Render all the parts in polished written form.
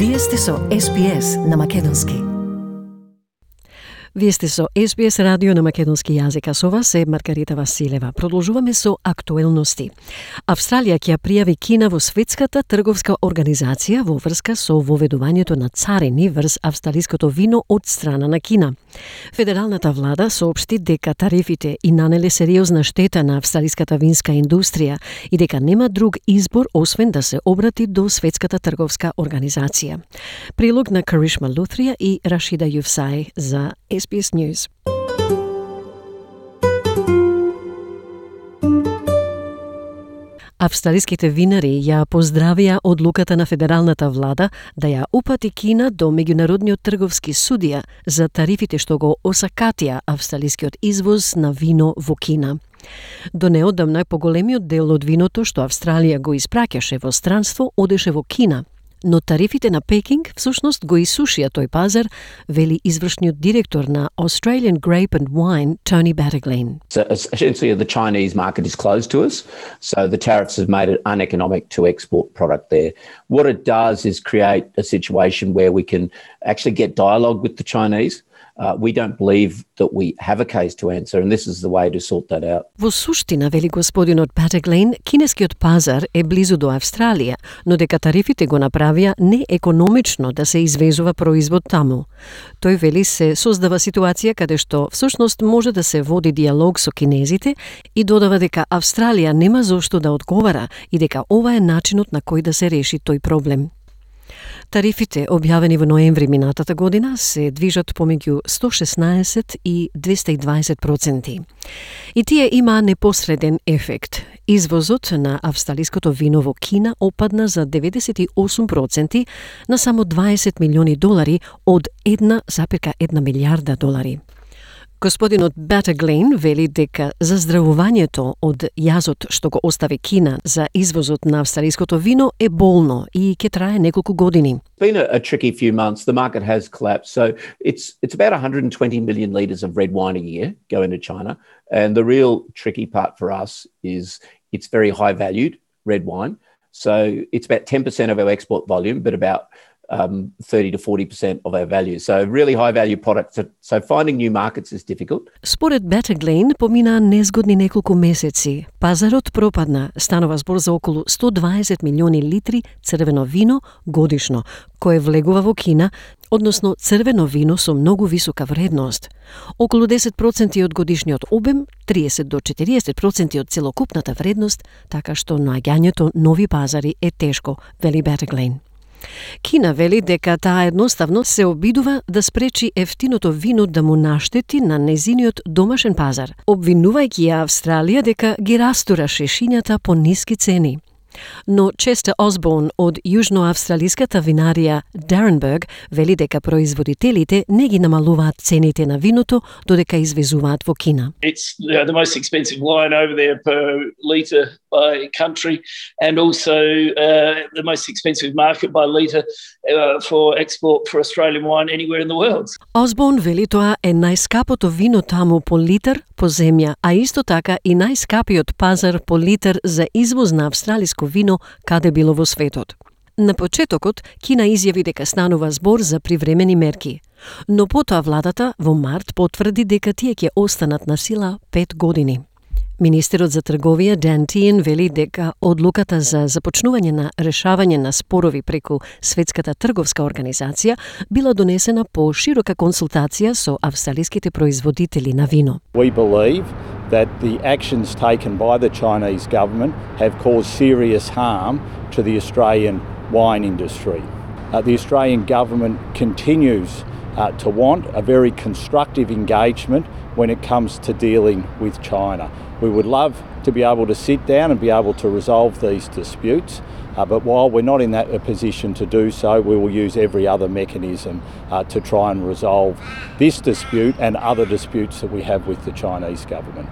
Вие сте со SBS на македонски. Вие сте со SBS радио на македонски јазик, а со вас е Маргарита Василева. Продолжуваме со актуелности. Австралија ќе пријави Кина во Светската трговска организација во врска со воведувањето на царини врз австралиското вино од страна на Кина. Федералната влада соопшти дека тарифите и нанеле сериозна штета на австралиската винска индустрија и дека нема друг избор освен да се обрати до Светската трговска организација. Прилог на Каришма Лутрија и Рашида Юфсај за SBS News. Австралиските винари ја поздравија одлуката на федералната влада да ја упати Кина до меѓународниот трговски судија за тарифите што го осакатија австралискиот извоз на вино во Кина. До неодамна поголемиот дел од виното што Австралија го испраќаше во странство одеше во Кина, но тарифите на Пекинг всушност го исушија тој пазар, вели извршниот директор на Australian Grape and Wine, Tony Battaglin. So essentially the Chinese market is closed to us, so the tariffs have made it uneconomic to export product there. What it does is create a situation where we can actually get dialogue with the Chinese. We don't believe that we have a case to answer, and this is the way to sort that out. Во суштина, вели господинот Battaglin, кинескиот пазар е близу до Австралија, но дека тарифите го направија неекономично да се извезува производ таму. Тој вели се создава ситуација каде што всушност може да се води диалог со кинезите и додава дека Австралија нема зошто да одговара и дека ова е начинот на кој да се реши тој проблем. Тарифите, објавени во ноември минатата година, се движат помеѓу 116 и 220%. И тие има непосреден ефект. Извозот на австралиското вино во Кина опадна за 98% на само $20 милиони од 1,1 милијарда долари. Господинот Battaglin вели дека заздравувањето од јазот што го остави Кина за извозот на австралиското вино е болно и ќе трае неколку години. It's been a tricky few months. The market has collapsed. So it's about 120 million litres of red wine a year going to China. And the real tricky part for us is it's very high valued red wine. So it's about 10% of our export volume, but about 30 to 40% of our value. So really high value products. So finding new markets is difficult. Според Battaglin помина незгодни неколку месеци. Пазарот пропадна, станува збор за околу 120 милиони литри црвено вино годишно, кое влегува во Кина, односно црвено вино со многу висока вредност. Околу 10% од годишниот обем, 30 до 40% од целокупната вредност, така што наоѓањето нови пазари е тешко, вели Battaglin. Кина вели дека таа едноставно се обидува да спречи ефтиното вино да му наштети на незиниот домашен пазар, обвинувајќи ја Австралија дека ги растура шешињата по ниски цени. Но Честер Осборн од јужноавстралиската винарија Даренберг вели дека производителите не ги намалуваат цените на виното додека извезуваат во Кина. It's the most expensive wine over there per litre by country, and also the most expensive market by litre for export for Australian wine anywhere in the world. Осборн вели тоа е најскапото вино таму по литар по земја, а исто така и најскапиот пазар по литар за извоз на австралиско вино каде било во светот. На почетокот, Кина изјави дека станува збор за привремени мерки, но потоа владата во март потврди дека тие ќе останат на сила 5 години. Министерот за трговија Дан Тиен вели дека одлуката за започнување на решавање на спорови преку Светската трговска организација била донесена по широка консултација со австралиските производители на вино. We believe that the actions taken by the Chinese government have caused serious harm to the Australian wine industry. The Australian government continues to want a very constructive engagement when it comes to dealing with China. We would love to be able to sit down and be able to resolve these disputes, but while we're not in that position to do so, we will use every other mechanism to try and resolve this dispute and other disputes that we have with the Chinese government.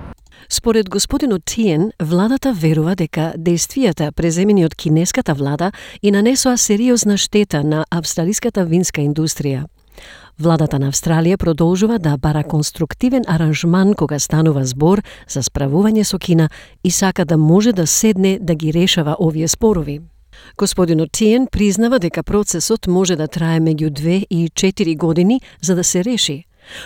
Според господинот Тиен, владата верува дека действијата преземени од кинеската влада и нанесоа сериозна штета на австралиската винска индустрија. Владата на Австралија продолжува да бара конструктивен аранжман кога станува збор за справување со Кина и сака да може да седне да ги решава овие спорови. Господинот Тиен признава дека процесот може да трае меѓу 2 и 4 години за да се реши.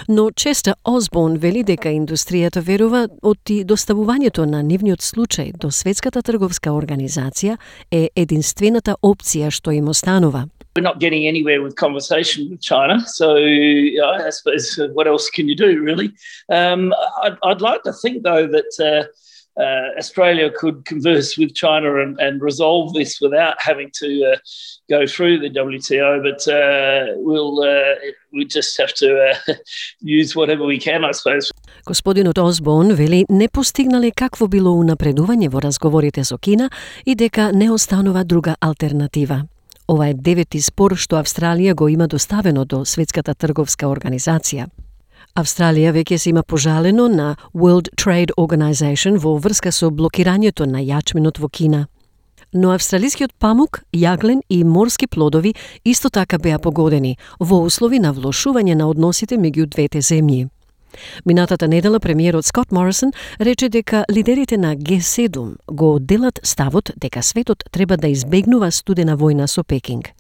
Но Честер Осборн вели дека индустријата верува оти доставувањето на нивниот случај до Светската трговска организација е единствената опција што им останува. We're not getting anywhere with conversation with China, so I suppose what else can you do, really? I'd like to think, though, that Australia could converse with China and resolve this without having to go through the WTO, but we just have to use whatever we can, I suppose. Господинот Осборн вели не постигнале какво било унапредување во разговорите со Кина и дека не останува друга алтернатива. Ова е 9-ти спор што Австралија го има доставено до Светската трговска организација. Австралија веќе се има пожалено на World Trade Organization во врска со блокирањето на јачменот во Кина. Но австралискиот памук, јаглен и морски плодови исто така беа погодени во услови на влошување на односите меѓу двете земји. Минатата недела премиерот Скот Морисон рече дека лидерите на Г7 го делат ставот дека светот треба да избегнува студена војна со Пекинг.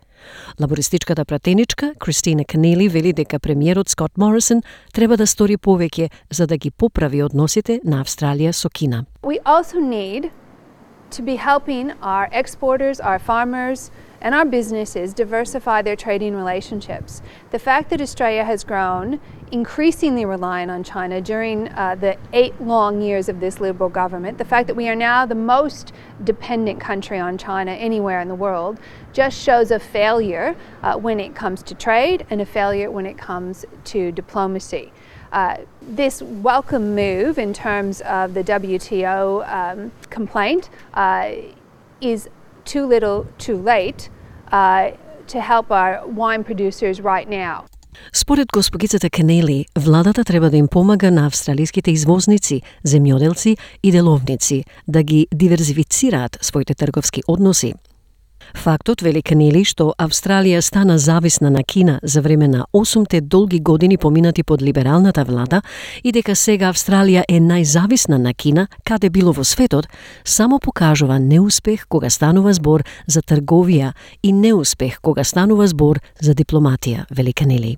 Лабористичката пратеничка Кристина Кенели вели дека премиерот Скот Морисон треба да стори повеќе за да ги поправи односите на Австралија со Кина. We also need to be helping our exporters, our farmers, and our businesses diversify their trading relationships. The fact that Australia has grown increasingly reliant on China during the 8 long years of this Liberal government, the fact that we are now the most dependent country on China anywhere in the world, just shows a failure when it comes to trade and a failure when it comes to diplomacy. This welcome move in terms of the WTO complaint is too little, too late to help our wine producers right now. Според госпогицата Кенели, владата треба да им помага на австралиските извозници, земјоделци и деловници да ги диверзифицираат своите трговски односи. Фактот, вели Кенели, што Австралија стана зависна на Кина за време на 8 долги години поминати под либералната влада и дека сега Австралија е најзависна на Кина каде било во светот, само покажува неуспех кога станува збор за трговија и неуспех кога станува збор за дипломатија, вели Кенели.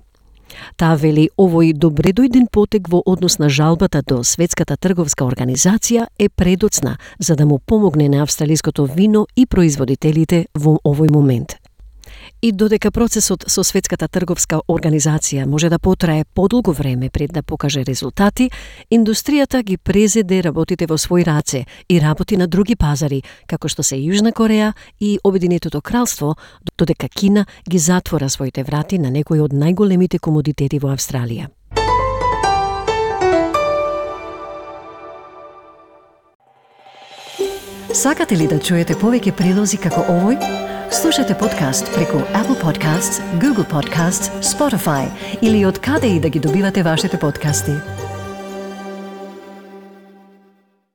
Таа вели овој добредојден потек во однос на жалбата до Светската трговска организација е предоцна за да му помогне на австралиското вино и производителите во овој момент. И додека процесот со Светската трговска организација може да потрае подолго време пред да покаже резултати, индустријата ги презеде работите во свој раце и работи на други пазари, како што се Јужна Кореја и Обединетото кралство, додека Кина ги затвора своите врати на некои од најголемите комодитети во Австралија. Сакате ли да чуете повеќе прилози како овој? Слушате подкаст преку Apple Podcasts, Google Podcasts, Spotify или од каде и да ги добивате вашите подкасти.